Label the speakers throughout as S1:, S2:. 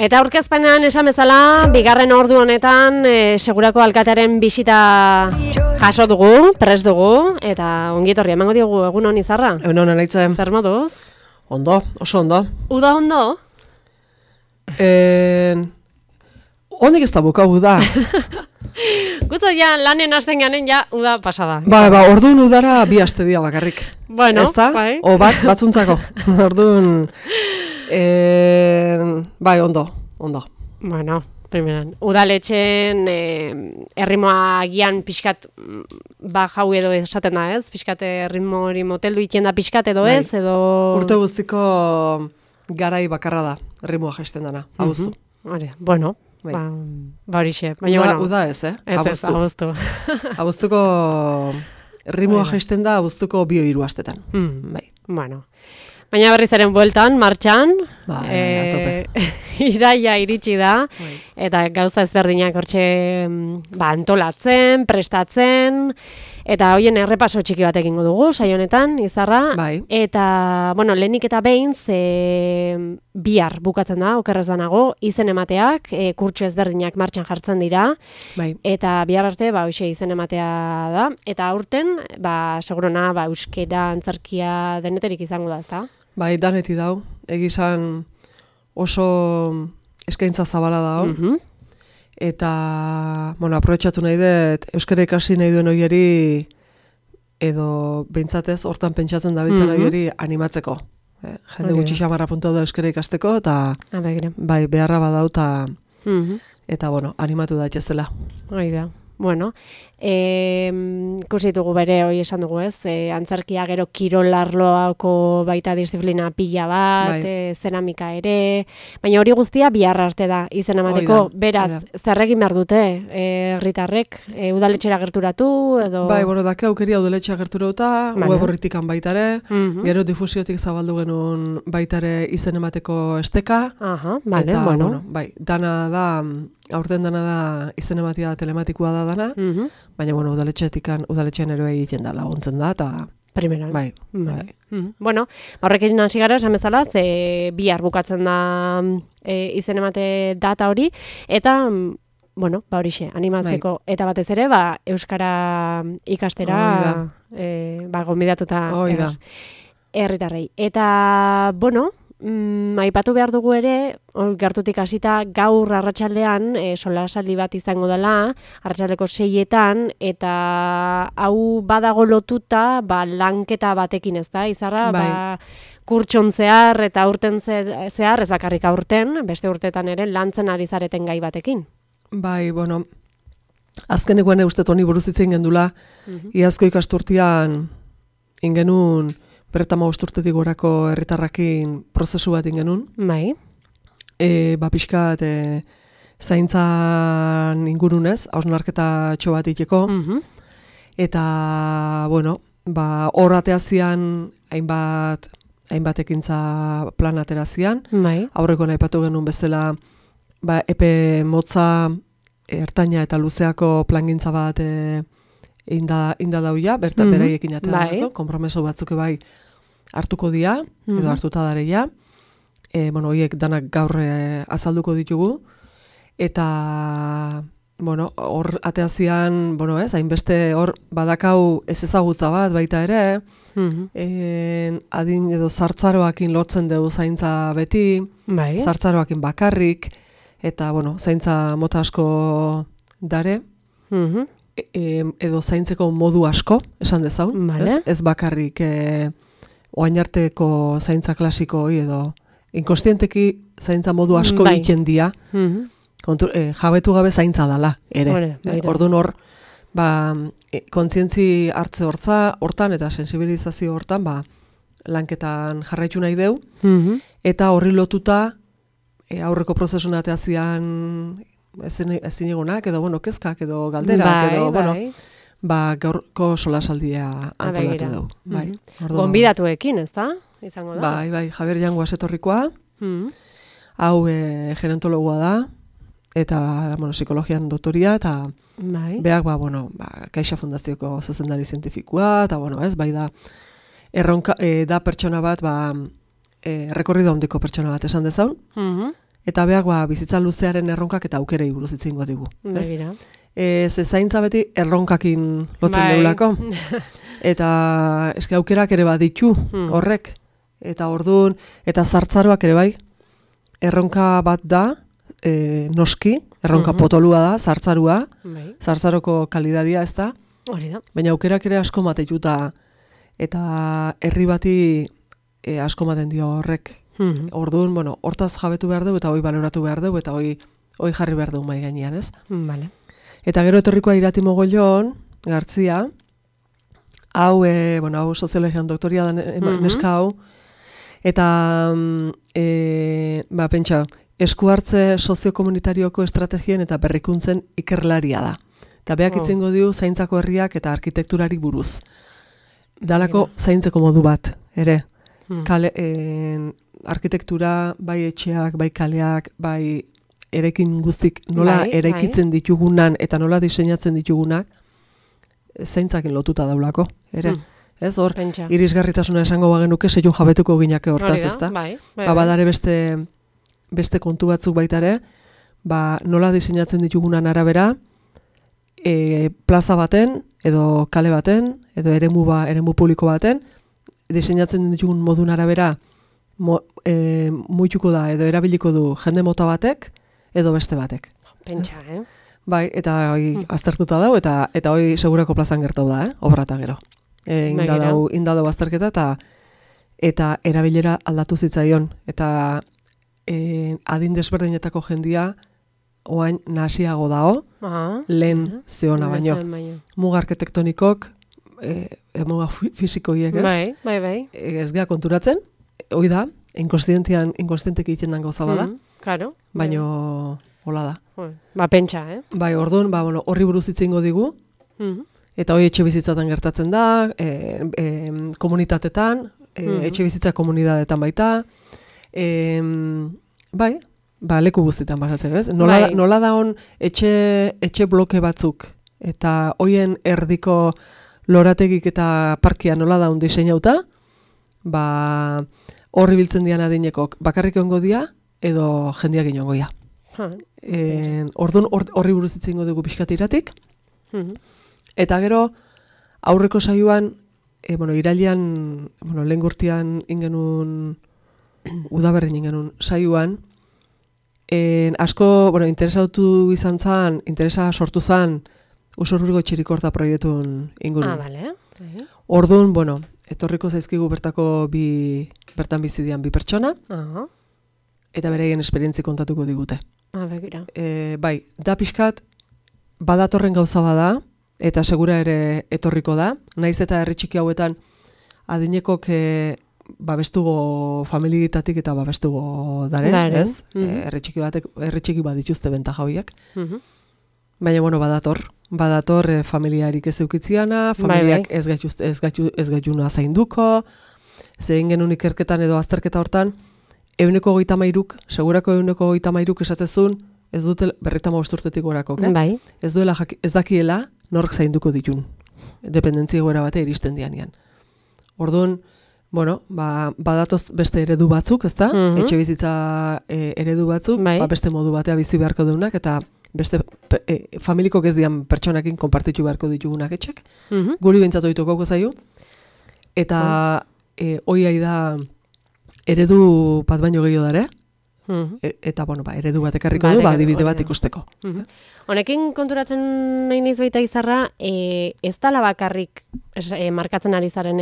S1: Eta aurkezpenean esan bezala, bigarren ordu honetan segurako alkatearen bisita jaso dugu, prest dugu, eta ongietorri emango diogu egun hon Izarra.
S2: Egun hon Anaitzen.
S1: Zer moduz?
S2: Ondo, oso ondo.
S1: Uda ondo?
S2: Hondik ez da buka uda.
S1: Gutu ja lanen hasten ganen ja uda pasada.
S2: Ba, orduan udara bi aste dira bakarrik.
S1: Bueno,
S2: ezta?
S1: bai.
S2: O batzuntzako. Orduan, bai, ondo.
S1: Bueno, primeran. Udaletxen erritmoa gian pixkat jau edo esaten da, ez? Pixkat erritmo hori moteldu ikien da pixkat edo ez? Edo...
S2: Urte guztiko garai bakarra da, erritmoa jaisten dana, abuztu.
S1: Hori, bueno,
S2: bai.
S1: Ba horixe.
S2: Uda ez,
S1: Ez, abuztu.
S2: Abuztuko erritmoa jaisten da, abuztuko 2-3 astetan. Bai.
S1: Bueno. Baina berriz eren bueltan, martxan, iraia iritsi da, eta gauza ezberdinak hortxe antolatzen, prestatzen, eta hoien errepaso txiki bat egingo dugu, saio honetan, Izarra.
S2: Bai.
S1: Eta, lehenik eta behin, bihar bukatzen da, okerrez banago, izen emateak, kurtso ezberdinak martxan jartzen dira,
S2: bai.
S1: Eta bihar arte, hoxe izen ematea da, eta aurten, segurona, euskera, antzerkia deneterik izango da, ezta?
S2: Bai, daneti dau, egizan oso eskaintza zabala dau, eta, aprobetxatu nahi dut, euskara ikasi nahi duen oieri, edo behintzatez, hortan pentsatzen dabiltzen oieri animatzeko. Jende gutxi xamarra puntu da euskara ikasteko, eta bai, beharra badau, eta, animatu da etxezela.
S1: Hori da. Bueno, ikusi ditugu bere, hoi esan dugu ez, antzerkia gero kirolarloako baita disiplina pila bat, zeramika ere, baina hori guztia bihar arte da izen emateko, beraz, zer egin behar dute, herritarrek, udaletxera gerturatu, edo...
S2: Bai, dake aukeria udaletxera gerturatuta, web horritikan baitare, gero difusiotik zabaldu genuen baitare izen emateko esteka, eta, bai, dana da... Aurten dana da izen ematia telematikoa da dana, baina udaletxean ero egiten da laguntzen da, eta...
S1: Primeran.
S2: Bai.
S1: Bueno, horrekin hasi gara, esan bezala, bihar bukatzen da izen emate data hori, eta, horixe, animatzeko, eta batez ere, euskara ikastera, gonbidatuta herritarrei. Eta, aipatu behar dugu ere, gertutik hasita gaur arratsaldean solasaldi bat izango dela, arratsaldeko 6etan, eta hau badago lotuta lanketa batekin, ez da, Izarra? Kurtson zehar eta urten zehar, ez bakarrik aurten, beste urteetan ere, lantzen ari zareten gai batekin.
S2: Bai, azkenekoan eustet honi buruz itzen gendula, iazko ikasturtian ingenun, berretama urtetik gorako herritarrakin prozesu bat ingenun.
S1: Bai.
S2: Pixkat zaintzan ingurunez, hausnarketa txo bat iteko. Eta, hor ateazian hainbat ekintza plan aterazian. Aurreko aipatu genuen bezala, epe motza, ertaina eta luzeako plangintza bat inda dauia, beraiekin atea konpromeso batzuk bai hartuko dia, edo hartuta dareia. Horiek danak gaur azalduko ditugu. Eta, hor ateazian, hainbeste hor badakau ez ezagutza bat baita ere, adin edo zartzaroakin lotzen dugu zaintza beti, zartzaroakin bakarrik, eta, zaintza mota asko dare, edo zaintzeko modu asko, esan dezaun, ez bakarrik oainarteko zaintza klasiko edo inkostienteki zaintza modu asko egiten dia, jabetu gabe zaintza dala, ere. Orduan hor, kontzientzi hartze hortan eta sensibilizazio hortan, lanketan jarraitu nahi deu, eta horri lotuta aurreko prozesun ateazian ezin egonak, edo, kezkak, edo galderak, edo, gaurko solasaldia antolatu dugu.
S1: Gonbidatuekin, ez da? Izango da?
S2: Bai, Javier Jangoaz etorrikoa, hau gerontologoa da, eta, psikologian doktoria, eta beak, Caixa Fundazioko zuzendari zientifikoa, eta, bai da, erronka, da pertsona bat, rekorrido handiko pertsona bat esan dezaun, eta beak bizitza luzearen erronkak eta aukerei buruz hitz egingo digu. Ze zaintza beti erronkakin lotzen deulako. Eta eske aukerak ere baditu horrek. Eta ordun eta zartzaroak ere bai. Erronka bat da, noski, erronka potolua da, zartzarua. Zartzaroko kalidadia ez da. Baina aukerak ere asko matetuta eta herri bati asko maten dio horrek. Orduan, hortaz jabetu behar dugu eta hoi baloratu behar dugu eta hoi jarri behar dugu mai gainean, ez? Eta gero etorrikoa Irati Mogollon, Gartzia, hau soziologian doktoria da neska hau, eta pentsa, esku hartze soziokomunitarioko estrategien eta berrikuntzen ikerlaria da. Eta beak itzengo dio zaintzako herriak eta arkitekturari buruz. Dalako zaintzeko modu bat, ere. Arkitektura, bai etxeak, bai kaleak, bai eraikin guztik nola eraikitzen ditugunan eta nola diseinatzen ditugunak zaintzakin lotuta daulako, ere. Ez hor, irisgarritasuna esango bagenuke seiu jabetuko ginake hortaz, ezta? Badare beste kontu batzuk baita ere, nola diseinatzen ditugunan arabera, plaza baten, edo kale baten, edo eremu publiko baten, diseinatzen ditugun modun arabera muituko da, edo erabiliko du jende mota batek, edo beste batek.
S1: Pentsa,
S2: Bai, eta hoi aztertuta dau, eta hoi segurako plazan gertau da, obrata gero. Inda dau azterketa, eta erabilera aldatu zitzaion, eta adin desberdinetako jendia oain nasiago dao, lehen zeona baino. Muga arkitektonikok, muga fisikoiek ez?
S1: Bai.
S2: Ez gea konturatzen, hoi da, inkonstientek egiten dan gauza bada, baino hola da.
S1: Pentsa,
S2: Bai, orduan, horri buruz hitz egingo digu, eta hoi etxe bizitzatan gertatzen da, komunitatetan, etxe bizitza komunitatetan baita, bai, leku guztietan basatzen, ez? Nola da hon etxe bloke batzuk, eta hoien erdiko lorategik eta parkia nola da hon diseinauta, horri biltzen dian adinekok bakarrik ongo dia, edo jendiak inongo ia. Orduan horri buruz hitz egingo dugu pixkat Iratik, eta gero aurreko saioan, irailean, lehen gurtian ingenun, udaberrin ingenun saioan, asko, interesatu izan zan, interesa sortu zan, Usurbilgo Txirikorta proiektun ingurun. Orduan, etorriko zaizkigu bertan bizidian bi pertsona, eta beraien esperientzi kontatuko digute. Bai, da pixkat, badatorren gauza bada, eta segura ere etorriko da, naiz eta herri txiki hauetan adinekok babestugo familietatik eta babestugo dare, ez? Herri txiki bat dituzte bentaja horiek. Baina, badator familiarik ez eukitziana, familiak ez gaituna zainduko, zein genuen ikerketan edo azterketa hortan, 130, segurako 130 esatezun, ez dute 35 urtetik gorako, ez dakiela nork zainduko ditun, dependentzia egoera bate iristen dianean. Orduan, badatoz beste eredu batzuk, ezta? Etxe bizitza eredu batzuk, beste modu batea bizi beharko deunak, eta beste familikok ez dian pertsonakin konpartitu beharko ditugunak etxek. Guri bintzatu dituko zaio. Eta hoi da eredu bat baino gehiago dare. Eta, eredu bat ekarriko du, adibide bat ikusteko.
S1: Honekin konturatzen nahi naiz baita Izarra, ez dala bakarrik markatzen ari zaren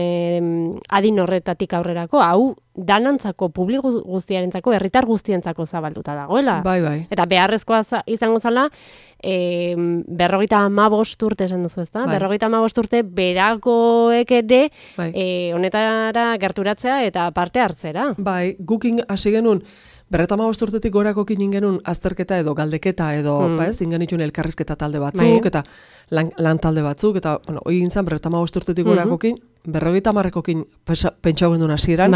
S1: adin horretatik aurrerako, hau danantzako, publiko guztiarentzako, herritar guztientzako zabalduta dagoela.
S2: Bai.
S1: Eta beharrezkoa izango zala, 55 urte esan duzu, ezta? 55 urte berakoek ere honetara gerturatzea eta parte hartzera.
S2: Bai, gukin hasi genuen, 55 urtetik gorako genuen azterketa edo galdeketa edo, ingenituen elkarrizketa talde batzuk, eta lan talde batzuk, eta, hoi gintzen 55 urtetik gorakokin, 50ekin pentsau genduen hasieran,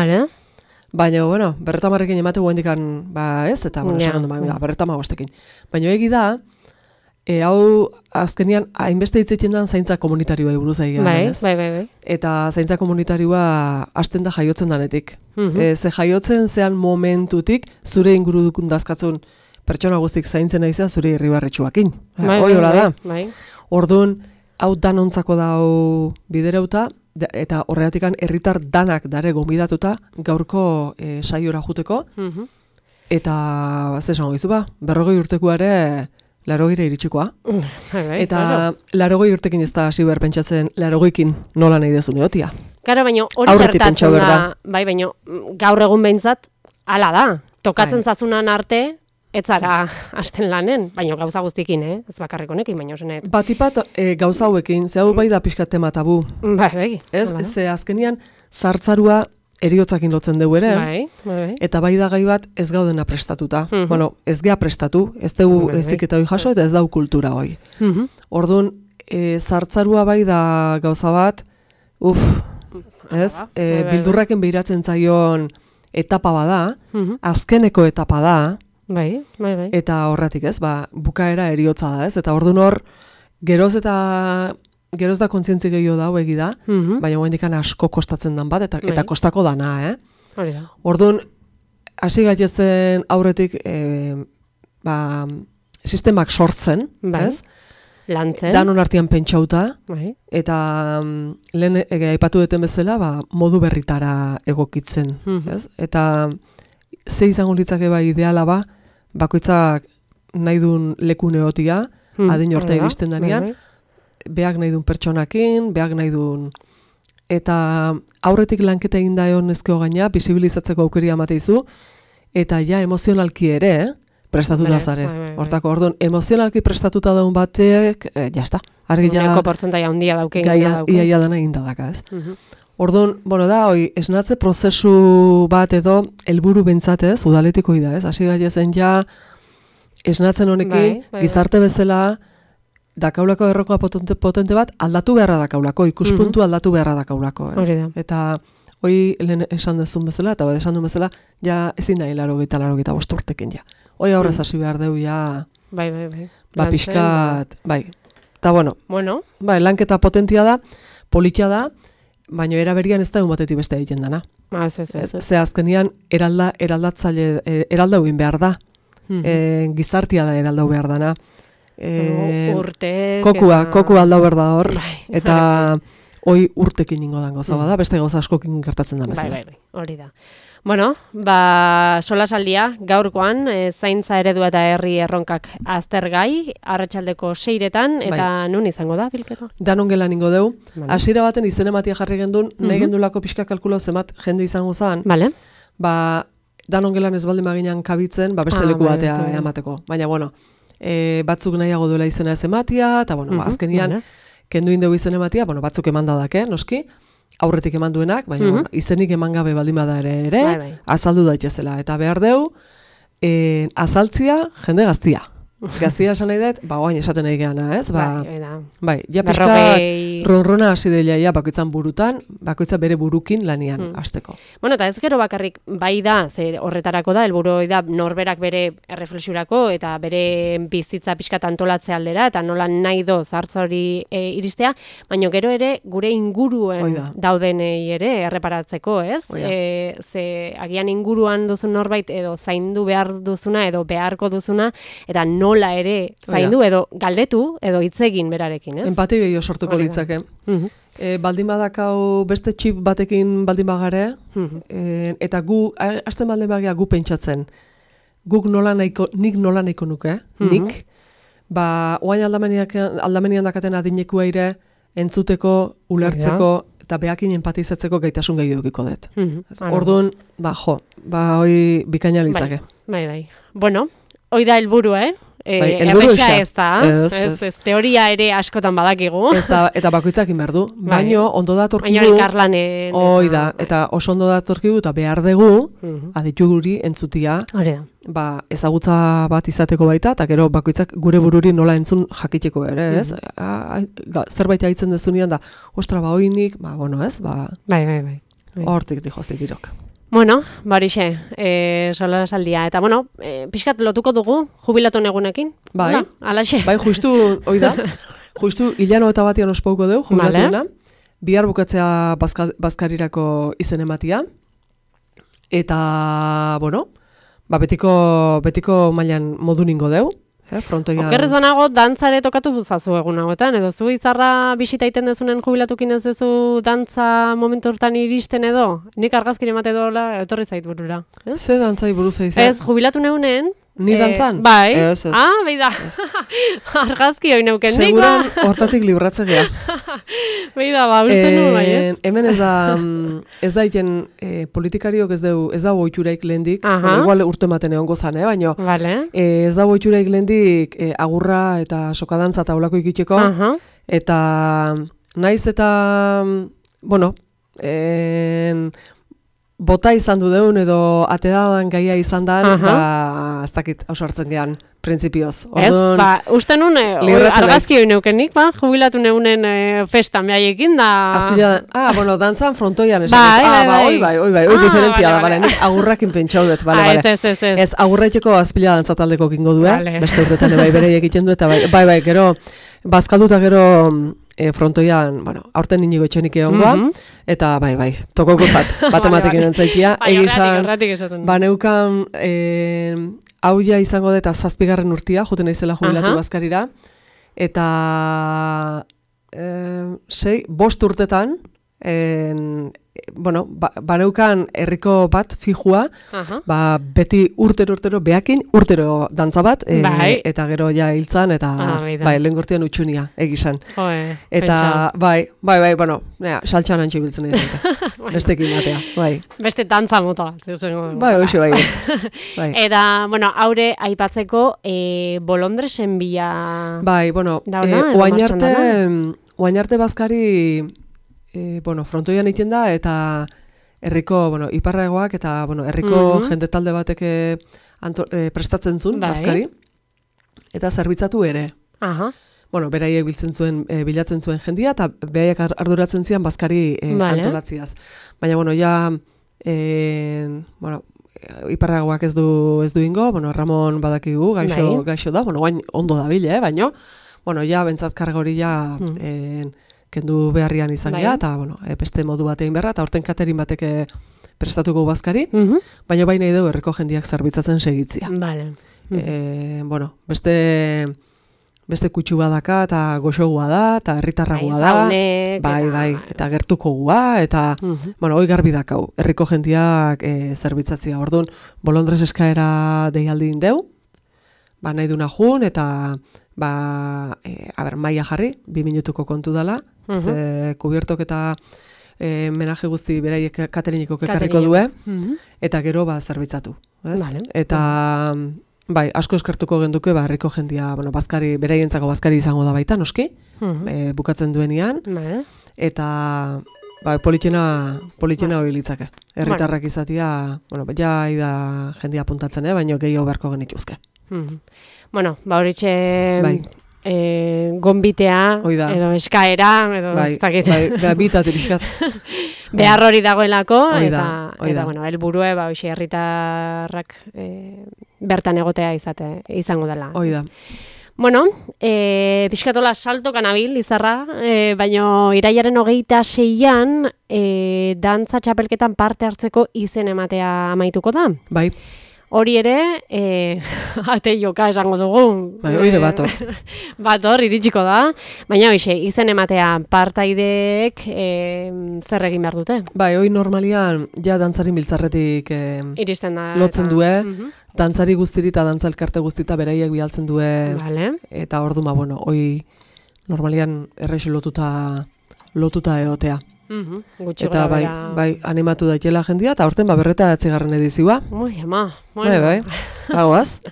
S2: baina, 50ekin emate guendikan, ez, eta, esan genduen, 55ekin. Baina egi da, hau azkenian hainbeste hitz egiten dan zaintza komunitarioa buruz egia.
S1: Bai.
S2: Eta zaintza komunitarioa hasten da jaiotzen danetik. Ze jaiotzen zean momentutik zure inguru dukun dazkatzun pertsona guztik zaintzen naizea zure irribarretxuakin. Hoi hola da. Orduan, hau danontzako dau bidereuta, eta horregatikan herritar danak dare gonbidatuta gaurko saiora juteko. Eta, ze esango gizu 40 urtekoare 80 iritsikoa. Eta 80 urtekin ez da hasi behar pentsatzen 80ekin nola nahi dezu neotia.
S1: Karo, baina hori gertatzen da, baina gaur egun behintzat, hala da. Tokatzen zazunan arte, ez zara hasten lanen, baina gauza guztikin, ez bakarrik honekin, baina osenet.
S2: Batipat gauza hauekin, ze hau bai da pixkat tema tabu.
S1: Bai.
S2: Ez, ze azkenian zartzarua eriotzakin lotzen dugu ere, eta bai da gai bat ez gaudena prestatuta. Bueno, ez gea prestatu, ez dugu ezik eta hoi jaso, eta ez dau kultura hoi. Orduan, zartzarua bai da gauza bat, bildurraken behiratzen zaion etapa bada, azkeneko etapa da, eta horretik ez, bukaera eriotza da ez, eta orduan hor, geroz da kontzientzi gehiago da, egi da, baina guendikan asko kostatzen dan bat, eta kostako dana, Orduan, hasi gaitezen aurretik sistemak sortzen, ez?
S1: Lantzen.
S2: Danon artean pentsauta, eta lehen aipatu duten bezala, modu berritara egokitzen, ez? Eta ze izango litzake ideala bakoitzak nahi duen leku neotia, adin orta iristen danean, beak nahi duen pertsonakin, beak nahi duen... Eta aurretik lanketa egin da egon ezkeo gaina, bisibilizatzeko aukeria amateizu, eta ja emozionalki ere, prestatuta zare. Hortako, orduan, emozionalki prestatuta daun batek, jazta.
S1: Uneko portzentaia handia dauke.
S2: Iaia dana egin dadaka, ez? Orduan, esnatze prozesu bat edo, helburu bentsatez, udaletiko da, ez? Hasi gaitezen ja, esnatzen honekin, gizarte bezala, dakaulako errokoa potente bat, aldatu beharra dakaulako, ikuspuntu aldatu beharra dakaulako, ez? Eta hoi lehen esan dezun bezala, eta esan duen bezala, ja ezin nahi 80 urtekin ja. Hoi aurrez hasi behar deu ja... Pixkat... Eta lanketa potentia da, politia da, baina eraberian ez da egun batetik beste egiten dana. Ze azkenian eraldau egin behar da. Gizartia da eraldau behar dana. Koku aldau behar da hor. Eta hoi urtekin ingo dango zabada, beste gauza askokin gertatzen da bezala.
S1: Hori da. Bueno, solasaldia gaurkoan, zaintza eredua eta herri erronkak aztergai, arratsaldeko 6etan, eta nun izango da, bilketa?
S2: Danon gelan ingo deu. Hasiera baten izen ematia jarri gendun, nahi gendulako pixka kalkulo zemat jende izango zan. Danon gelan ez baldin maginan kabitzen, beste leku batea emateko. Baina, batzuk nahiago duela izena ez ematia, eta, azkenian, kendu indegu izen ematia, batzuk emandadak, noski, aurretik eman duenak, baina izenik eman gabe baldin bada ere, azaldu daitezela. Eta behar deu, azaltzia jende gaztia. Gaztia esan nahi dut, oain esaten nahi geana, ez? Ja pixka ronrona hasi delia, bakoitzan burutan, bakoitza bere burukin lanian hasteko.
S1: Bueno, eta ez gero bakarrik bai da, horretarako da, helburu da norberak bere erreflexiurako eta bere bizitza pixka antolatzea aldera, eta nola nahi do zartza hori iristea, baina gero ere gure inguruen daudenei ere erreparatzeko, ez? Ze agian inguruan duzun norbait edo zaindu behar duzuna edo beharko duzuna, eta nola ere zaindu edo galdetu edo hitz egin berarekin, ez?
S2: Empati gehiago sortuko litzake. Baldin badakau beste txip batekin baldin bagare, eta gu, hasten baldin bagia gu pentsatzen, nik nola nahiko nuke, nik, oain aldamenian dakaten adinekua ere, entzuteko, ulertzeko, eta behakin empatizatzeko gaitasun gehiago dukiko dut. Orduan, hoi bikaina litzake.
S1: Bueno, hoi da helburua, erresa ez da, ez teoria ere askotan badakigu.
S2: Eta bakoitzak inberdu, baino ondo datorkigu.
S1: Baina elkarlanen.
S2: Hoi da, eta oso ondo datorkigu eta behar dugu, aditu guri entzutia, ezagutza bat izateko baita, eta gero bakoitzak gure bururi nola entzun jakiteko ere, ez? Zerbait haitzen dezunean da, ostra, hoinik, ez? Hortik dihoztik dirok.
S1: Bueno, barixe, solasaldia. Eta, bueno, pixkat lotuko dugu, jubilatun egunekin.
S2: Bai,
S1: alaxe.
S2: Bai, justu, hoi da, justu hilano eta batian ospauko dugu, jubilatuna. Bihar bukatzea bazkarirako izen ematia. Eta, bueno, betiko mailan modu ningo deu.
S1: Okerrez banago, dantzare tokatu buzazu egun hauetan, edo zu izarra bisita iten dezunen jubilatukin ez dezu dantza momentu hortan iristen edo? Nik argazkin emate dola, etorri zait burura.
S2: Ze dantzai buruz aizan?
S1: Ez, jubilatu neunen.
S2: Ni dantzan?
S1: Bai.
S2: Ez.
S1: Behi da. Argazki hoi neuken nik,
S2: seguran hortatik libratzen gea.
S1: Behi da, uste nu, bai, ez?
S2: Hemen ez da iten politikariok ez da oituraik lehendik, igual urte ematen egon gozan, baina ez da oituraik lehendik agurra eta sokadantza eta olako ikiteko, eta naiz eta, bueno, bota izan du deun edo atedadan gaia izan da, ez dakit ausartzen gean, printzipioz.
S1: Ez, uste nun, argazki hoi neukenik, jubilatu neunen festan behaiekin da...
S2: bueno, dantzan frontoian esan. Oi diferentia da, nik agurrakin pentsaudet, bale. Ez, agurraiteko azpila dantzataldeko kingo du, beste urtetan bere egiten du, eta bai, gero, bazkalduta gero... frontoian, bueno, aurten inigo etxenik egongoa, eta bai, toko gozat, batematekin entzaitia, egizan, neukan, hauia izango da eta 7. urtia, joten naizela jubilatu bazkarira, eta 5 urtetan, bueno, baneukan herriko bat fijua, beti urtero behakin, urtero dantza bat, eta gero ja hiltzan, eta lehen gortian utxunia, egizan. Eta, bai, bueno, saltxan antxe biltzen dut, bestekin batea, bai.
S1: Beste dantza mota bat.
S2: Bai, hoxe bai.
S1: Eta, bueno, haure aipatzeko bolondresen bila...
S2: Bai, bueno, oain arte bazkari... bueno, frontoian egiten da, eta herriko, bueno, iparragoak, eta, bueno, herriko jende talde batek prestatzen zuen, bazkari, eta zerbitzatu ere. Bueno, beraiek bilatzen zuen jendia, eta beraiek arduratzen zian bazkari antolatziaz. Baina, bueno, bueno, iparragoak ez du ingo, bueno, Ramon badakigu, gaixo da, bueno, guain ondo da bile, baina, bueno, bentsat karga hori kendu beharrian izan gea, eta, bueno, beste modu batein berra, eta horten katerin batek prestatuko bazkari, baina baina ideu herriko jendiak zerbitzatzen segitzia. Bueno, beste kutsu badaka, eta goxogua da, eta herritarragoa da, bai, eta gertuko gua, eta, bueno, hoi garbi dakau, herriko jendiak zerbitzatzia. Orduan, bolondrez eskaera deialdin deu, nahi duna jun, eta, maia jarri, 2 minutuko kontu dala, ze kubiertok eta menaje guzti beraiek kateriniko kekarriko due, eta gero zerbitzatu. Eta, bai, asko eskertuko genduke, herriko jendia, bueno, beraientzako bazkari izango da baita, noski, bukatzen duenian, eta, politxena hori litzake. Herritarrak izatia, bueno, ida jendia apuntatzen, baina gehiago beharko genituzke.
S1: Bueno, horitxe gonbitea, edo eskaera, edo ez dakit.
S2: Bitate pixkat.
S1: Behar hori dagoelako, eta bueno, helburue, herritarrak bertan egotea izango dela.
S2: Oida.
S1: Bueno, pixkatola saltokan abil, izarra, baina iraiaren 26an dantza txapelketan parte hartzeko izen ematea amaituko da.
S2: Bai.
S1: Hori ere, ate joka esango dugu.
S2: Bai, oire bator.
S1: Bator, iritsiko da. Baina hoxe, izen ematea partaideek zer egin behar dute?
S2: Bai, hoi normalian, dantzari biltzarretik lotzen due. Dantzari guztiri eta dantza elkarte guztita beraiek bialtzen due. Eta ordu bueno, hoi normalian errexu lotuta egotea. Eta bai, animatu daitela jendia, eta horten berreta 8. edizioa. Bai, hagoaz.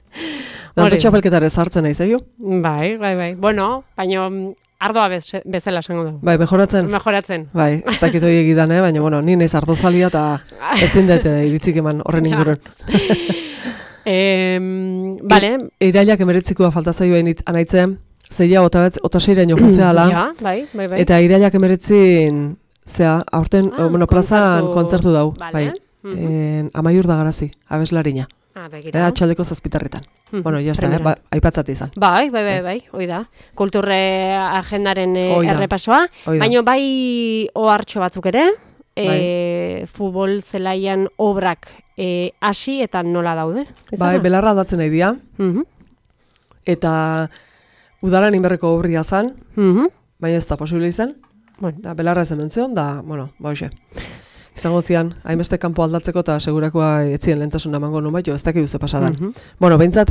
S2: Dantza txapelketare zartzen nahi zaio. Bai.
S1: Bueno, baina ardoa bezala esango du.
S2: Bai, mejoratzen. Bai, ez dakit hori egidan, baina, bueno, ni naiz ardozalia eta ezin dut iritzik eman horren inguruan.
S1: Bale.
S2: Irailak 19 falta zaio anaitzen, zeia 26 jontzea ala.
S1: Bai.
S2: Eta irailak 19 aurten, plazan kontzertu dau. Bai. Amaiur da Garazi, abeslarina.
S1: Begira.
S2: Txaldeko 7:00. Bueno, jazta, aipatzat izan.
S1: Bai, hoi da. Kulturre agendaren errepasoa. Baina bai ohartxo batzuk ere, futbol zelaian obrak hasi eta nola daude.
S2: Bai, belarra aldatzen nahi dira. Eta udalan inberreko obria zan, baina ez da posible izan. Belarra ez ementzion, da, hoxe. Izango zian, hainbeste kanpo aldatzeko eta segurakoa etzien lehentasuna emango nun baito, ez dakik ze pasadan. Behintzat,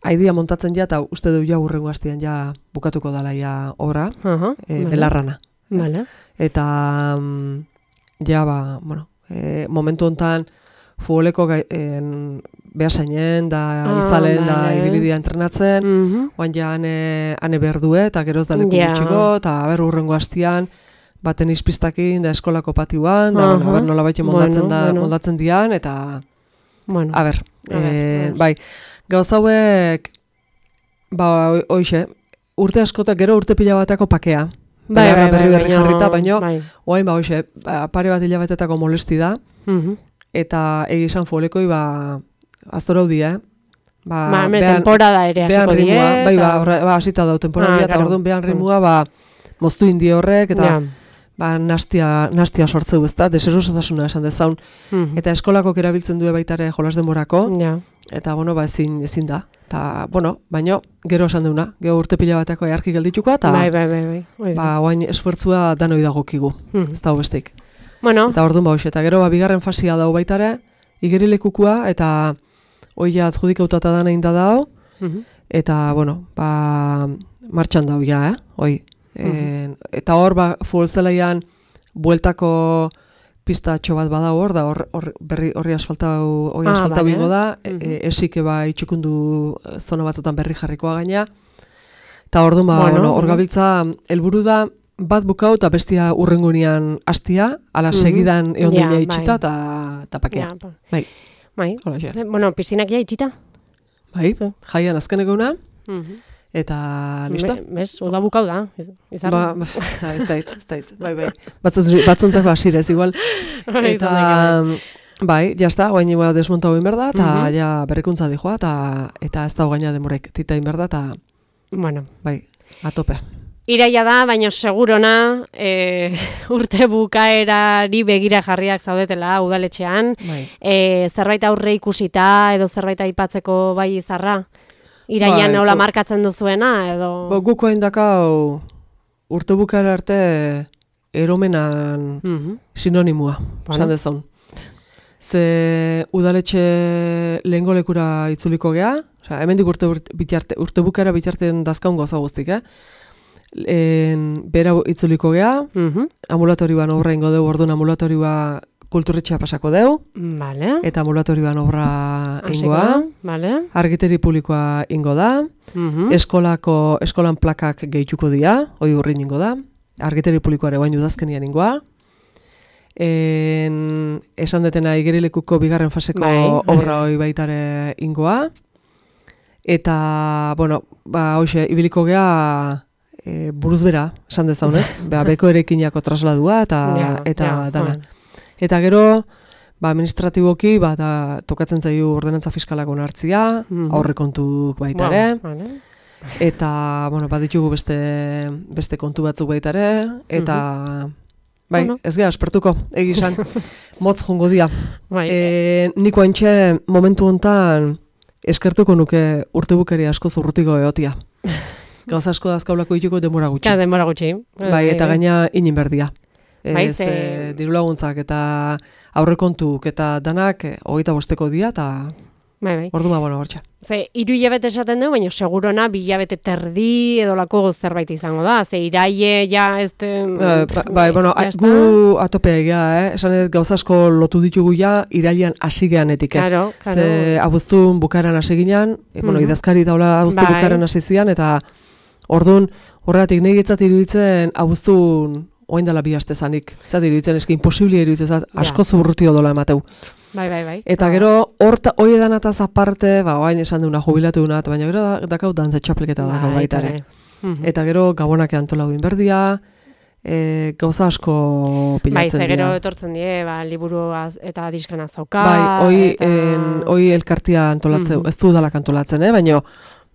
S2: aidia montatzen ja, eta uste du ja urrengo hastian ja bukatuko dala ja obra, belarrana. Eta, ja, momentu hontan, futboleko behasainen, da izalen, da ibilidia entrenatzen, oan ja ane behar due, eta geroz da leku gutxiko, eta urrengo hastian, baten izpistakin, da eskolako patioan, da, nola baite moldatzen dian, eta, bai, gauz hauek, hoxe, urte askotak, gero urte pila batako pakea, berri jarrita, baino, oain, hoxe, pare bat hilabetetako molesti da, eta egizan futbolekoi, aztora hudi,
S1: temporada ere hasiko die.
S2: Bai, hasita dau temporada, eta orduan behan rimua, moztu indi horrek, eta nastia sortzeu ez da, deserosotasuna esan dezaun. Eta eskolako erabiltzen due baitare jolas denborako, eta, ezin da. Eta, baino, gero esan deuna, gero urte pila bateko earki geldituko, eta, oain esfuertzua danoi dagokigu, ez da hobestik. Eta orduan eta gero bigarren fasia dau baitare, igerilekukua, eta oia adjudikautata dana inda dau, eta, martxan dau ja, oi. Eta hor, futbol zelaian, bueltako pistatxo bat bada hor, da horri asfaltau bingo da, esik itxukundu zona batzutan berri jarrikoa gaina, eta orduan, hor gabiltza, helburu da, bat bukau eta bestia urrengunean hastia, ala segidan eondina itxita eta pakea. Bai.
S1: Piszinak ja itxita?
S2: Bai, jaian azkeneko una, eta listo?
S1: Bez, oda bukau da.
S2: Ez dait, bai. Batzuntzak basirez, igual. Eta, bai, jazta, guain nioa desmonta hoin berda, eta ja berrikuntza dijoa, eta ez da gaina demorek titain berda, eta, bai, atope.
S1: Iraia da, baina segurona urte bukaerari begira jarriak zaudetela udaletxean. Zerbait aurre ikusita edo zerbait aipatzeko bai izarra? Iraian nola markatzen duzuena edo...
S2: Guko indakau urte bukaera arte eromenan sinonimua, esan dezun. Ze udaletxe lehengo lekura itzuliko gea, hemendik urte bukaera bitarten dazkaun gauza guztik, bera itzuliko gea, ambulatorioan obra ingo deu, orduan ambulatorioa kulturretxea pasako deu, eta ambulatorioan obra ingoa, argiteri publikoa ingo da, eskolan plakak gehituko dira, hoi urrin ingo da, argiteri publikoare baino udazkenian ingoa, esan detena igerilekuko bigarren faseko obra hoi baitare ingoa, eta, hoxe, ibiliko gea, buruz bera, esan dezaunez, beko erekinako trasladua eta dana. Eta gero, administratiboki, tokatzen zaiu ordenantza fiskalak onartzia, aurrekontuk baitare, eta, ditugu beste kontu batzuk baitare, eta, bai, ez geha, espertuko, egizan, motz jongo dia. Niko haintxe, momentu hontan, eskertuko nuke urtebukeri asko zurrutiko eotia. Gauza asko dazkaulako dituko denbora gutxi.
S1: Ja, denbora gutxi.
S2: Bai, eta gaina inin berdia. Diru laguntzak eta aurrekontuk eta danak 25 dia eta orduma hortxe.
S1: Ze, 3 hilabete esaten du, baina segurona 2 hilabete terdi edolako zerbait izango da. Ze, iraie ja ez...
S2: gu atope egia, esan edo gauza asko lotu ditugu ja irailean hasi geanetik. Ze, abuztun bukaeran hasi ginean, idazkari taula abuztun bukaeran hasi zian, eta orduan, horregatik nahi getzat iruditzen abuztun oain dela 2 aste zanik. Zat iruditzen eski imposiblia iruditzen, asko zuburrutio dola emateu.
S1: Bai.
S2: Eta gero, hoi edanataz aparte, oain esan duna jubilatu duna, baina gero dakau dantze txapelketa dakau baitare. Eta gero, gabonak antolau inberdia, gauza asko pilatzen dira.
S1: Bai, gero etortzen die, liburu eta diskana zauka.
S2: Bai, hoi elkartia antolatzeu, ez du udalak antolatzen, baina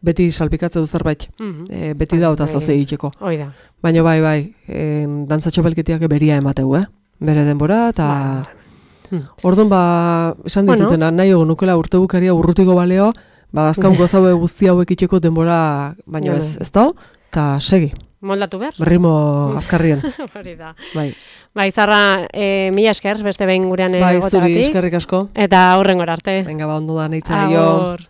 S2: beti salpikatzeu zerbait, beti da eta zaze egiteko.
S1: Hoi da.
S2: Baina bai, dantza txapelketiak beria emateu, bere denbora, eta orduan esan dizutena, nahi egon nukela urte bukaria urrutiko baleo, azkaun gozaue guzti hauek itxeko denbora, baina ez da, eta segi.
S1: Moldatu behar?
S2: Ritmo azkarrien.
S1: Hori da.
S2: Bai.
S1: Zarra, mila esker, beste behin gurean
S2: egotagatik. Bai, zuri eskerrik asko.
S1: Eta aurrengora arte.
S2: Venga, ondo da, nahitzen. Agur.